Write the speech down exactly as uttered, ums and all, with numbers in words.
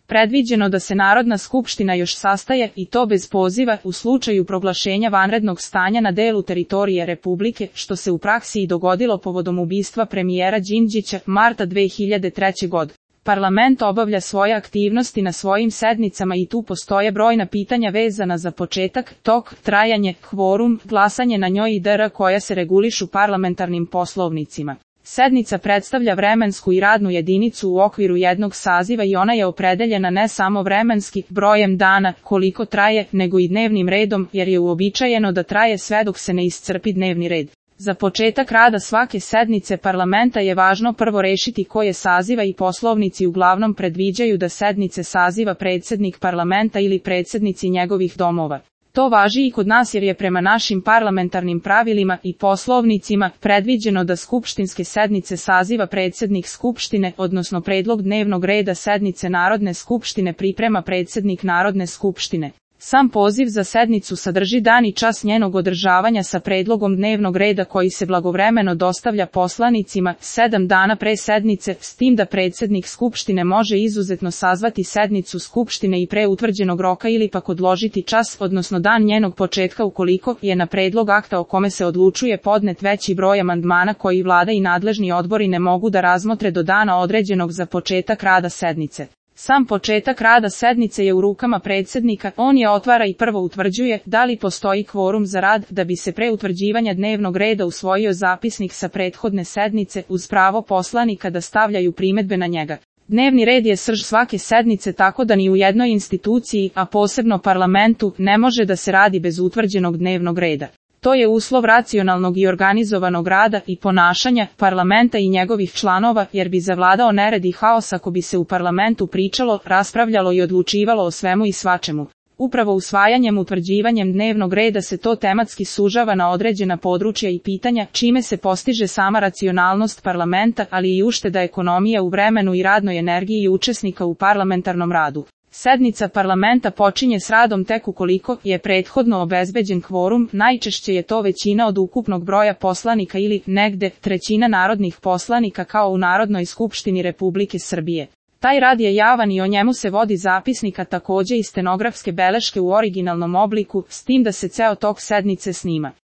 predviđeno da se Narodna skupština još sastaje i to bez poziva u slučaju proglašenja vanrednog stanja na delu teritorije Republike, što se u praksi i dogodilo povodom ubistva premijera Đinđića marta dve hiljade treće. godine. Parlament obavlja svoje aktivnosti na svojim sednicama i tu postoje brojna pitanja vezana za početak, tok, trajanje, kvorum, glasanje na njoj i dr. koja se regulišu parlamentarnim poslovnicima. Sednica predstavlja vremensku i radnu jedinicu u okviru jednog saziva i ona je opredeljena ne samo vremenski, brojem dana, koliko traje, nego i dnevnim redom, jer je uobičajeno da traje sve dok se ne iscrpi dnevni red. Za početak rada svake sednice parlamenta je važno prvo rešiti koje saziva i poslovnici uglavnom predviđaju da sednice saziva predsjednik parlamenta ili predsjednici njegovih domova. To važi i kod nas jer je prema našim parlamentarnim pravilima i poslovnicima predviđeno da skupštinske sednice saziva predsjednik skupštine, odnosno predlog dnevnog reda sednice Narodne skupštine priprema predsjednik Narodne skupštine. Sam poziv za sednicu sadrži dan i čas njenog održavanja sa predlogom dnevnog reda koji se blagovremeno dostavlja poslanicima sedam dana pre sednice, s tim da predsjednik skupštine može izuzetno sazvati sednicu skupštine i pre utvrđenog roka ili pak odložiti čas, odnosno dan njenog početka ukoliko je na predlog akta o kome se odlučuje podnet veći broj amandmana koji vlada i nadležni odbori ne mogu da razmotre do dana određenog za početak rada sednice. Sam početak rada sednice je u rukama predsjednika, on je otvara i prvo utvrđuje da li postoji kvorum za rad, da bi se pre utvrđivanja dnevnog reda usvojio zapisnik sa prethodne sednice uz pravo poslanika da stavljaju primedbe na njega. Dnevni red je srž svake sednice tako da ni u jednoj instituciji, a posebno parlamentu, ne može da se radi bez utvrđenog dnevnog reda. To je uslov racionalnog i organizovanog rada i ponašanja parlamenta i njegovih članova, jer bi zavladao nered i haos ako bi se u parlamentu pričalo, raspravljalo i odlučivalo o svemu i svačemu. Upravo usvajanjem utvrđivanjem dnevnog reda se to tematski sužava na određena područja i pitanja, čime se postiže sama racionalnost parlamenta, ali i ušteda ekonomije u vremenu i radnoj energiji učesnika u parlamentarnom radu. Sednica parlamenta počinje s radom tek ukoliko je prethodno obezbeđen kvorum, najčešće je to većina od ukupnog broja poslanika ili, negde, trećina narodnih poslanika kao u Narodnoj skupštini Republike Srbije. Taj rad je javan i o njemu se vodi zapisnik, a takođe i stenografske beleške u originalnom obliku, s tim da se ceo tok sednice snima.